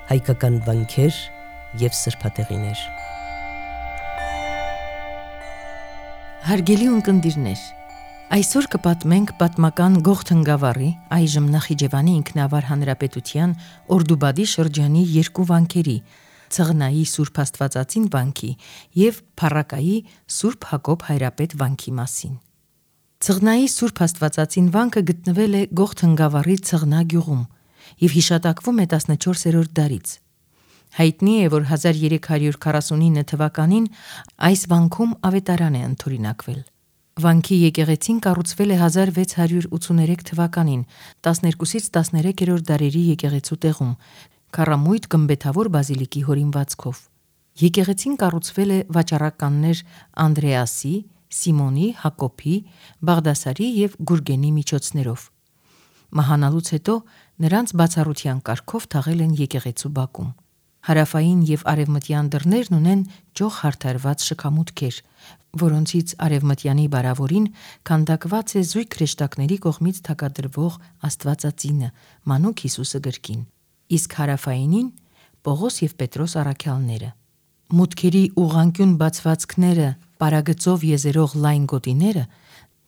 հայկական վանքեր և սրբատեղիներ։ Հարգելի ունկնդիրներ, այսօր կպատմենք պատմական Գողթն գավառի, այժմ Նախիջևանի ինքնավար հանրապետության Օրդուբադի շրջանի երկու վանքերի՝ Ցղնայի Սուրբ Աստվածածին վանքի և Փառակայի Սուրբ Հակոբ Հայրապետ վանքի մասին։ Ցղնայի Սուրբ Աստվածածին վանքը գտնվել է Գողթն գավառի Ցղնա գյուղում և հիշատակվում է 14-րդ դարից։ Հայտնի է, որ 1349 թվականին այս վանքում ավետարան է ընդօրինակվել։ Վանքի եկեղեցին կառուցվել է 1683 թվականին 12-ից 13-րդ դարերի եկեղեցու տեղում, քառամույթ գմբեթավոր բազիլիկի հորինվածքով։ Եկեղեցին կառուցվել է վաճառականներ Անդրեասի, Սիմոնի, Հակոբի, Բաղդասարի և Գուրգենի միջոցներով։ Մահանալուց հետո նրանց բացառության կարգով թաղել են եկեղեցու բակում։ Հարավային և արևմտյան դռներն ունեն ճոխ հարդարված շքամուտքեր, որոնցից արևմտյանի բարավորին քանդակված է զույգ հրեշտակների կողմից թագադրվող Աստվածածինը՝ Մանուկ Հիսուսը գրքին, իսկ հարավայինին՝ Պողոս և Պետրոս առաքյալները։ Մուտքերի ուղղանկյուն բացվածքները, պարագծով եզերող լայն գոտիները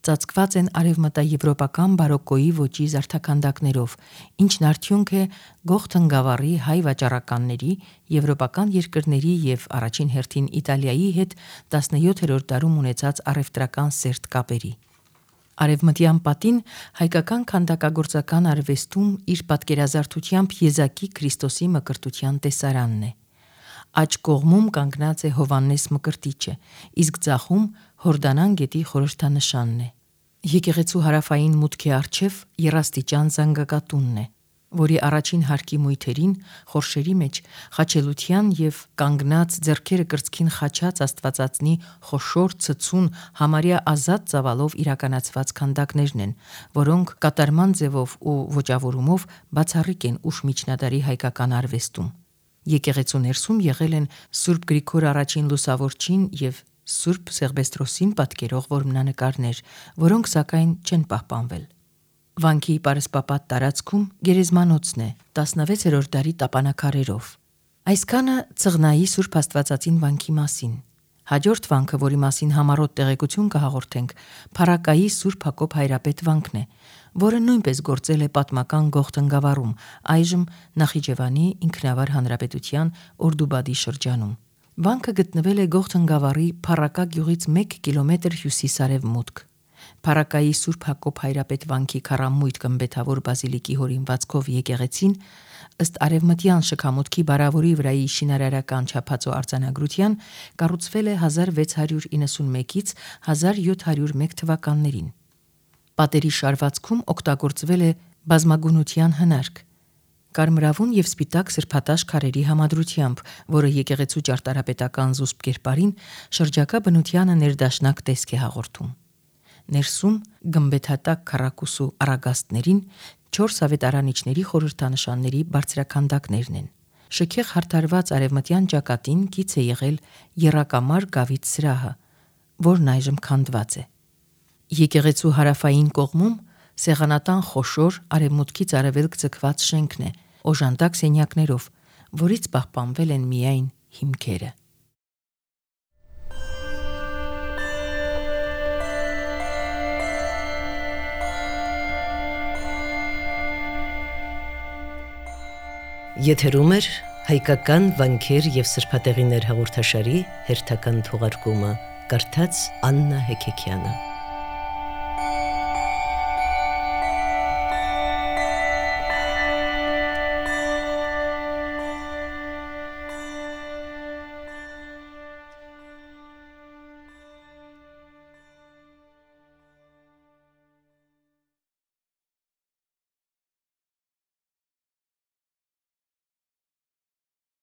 ծածկված են արևմտաեվրոպական բարոկկոյի ոճի զարդաքանդակներով, ինչն արդյունք է Գողթն գավառի հայ վաճառականների, եվրոպական երկրների և առաջին հերթին Իտալիայի հետ 17-րդ դարում ունեցած առևտրական սերտ կապերի։ Արևմտյան պատին հայկական քանդակագործական արվեստում իր պատկերազարդությամբ եզակի Քրիստոսի մկրտության տեսարանն է։ Աջ կողմում կանգնած է Հովհաննես Մկրտիչը, իսկ ձախում Հորդանան գետի խորհրդանշանն է։ Եկեղեցու հարավային մուտքի առջև եռաստիճան զանգակատունն է, որի առաջին հարկի մույթերին, խորշերի մեջ, խաչելության և կանգնած ձեռքերը կրծքին խաչած Աստվածածնի խոշոր, ցցուն, համարյա ազատ ծավալով իրականացված քանդակներն են, որոնք կատարման ձևով ու ոճավորումով բացառիկ են ուշ միջնադարի հայկական արվեստում։ Եկեղեցու ներսում եղել են Սուրբ Գրիգոր I Լուսավորչին և Սուրբ Սեղբեստրոսին պատկերող որմնանկարներ, որոնք սակայն չեն պահպանվել։ Վանքի պարսպապատ տարածքում գերեզմանոցն է 16-րդ դարի տապանաքարերով։ Այսքանը Ցղնայի Սուրբ Աստվածածին վանքի մասին։ Հաջորդ վանքը, որի մասին համառոտ տեղեկություն կհաղորդենք, Փառակայի Սուրբ Հակոբ Հայրապետ վանքն է, որը նույնպես գործել է պատմական Գողթն գավառում, այժմ Նախիջևանի ինքնավար հանրապետության Օրդուբադի շրջանում։ Վանքը գտնվել է Գողթն գավառի Փառակա գյուղից 1 կիլոմետր հյուսիս-արևմուտք։ Փառակայի Սուրբ Հակոբ Հայրապետ վանքի քառամույթ գմբեթավոր բազիլիկի հորինվածքով եկեղեցին, ըստ արևմտյան շքամուտքի բարավորի վրայի շինարարական չափածո արձանագրության, կառուցվել է 1691-ից 1701 թվականներին։ Պատերի շարվածքում օգտագործվել է բազմագունության հնարք՝ կարմրավուն և սպիտակ սրբատաշ քարերի համադրությամբ, որը եկեղեցու ճարտարապետական զուսպ կերպարին շրջակա բնությանը ներդաշնակ տեսք է հաղորդում։ Ներսում գմբեթատակ քառակուսու առագաստներին 4 ավետարանիչների խորհրդանշանների բարձրաքանդակներն են։ Շքեղ հարդարված արևմտյան ճակատին կից է եղել եռակամար գավիթ սրահը, որն այժմ քանդված է։ Եկեղեցու հարավային կողմում սեղանատան խոշոր, արևմուտքից արևելք ձգված շենքն է, օժանդակ սենյակներով, որից պահպանվել են միայն հիմքերը։ Եթերում է հայկական վանքեր և սրբատեղիներ հաղորդաշարի հերթական թողարկումը, կարդաց Աննա Հեքեքյանը։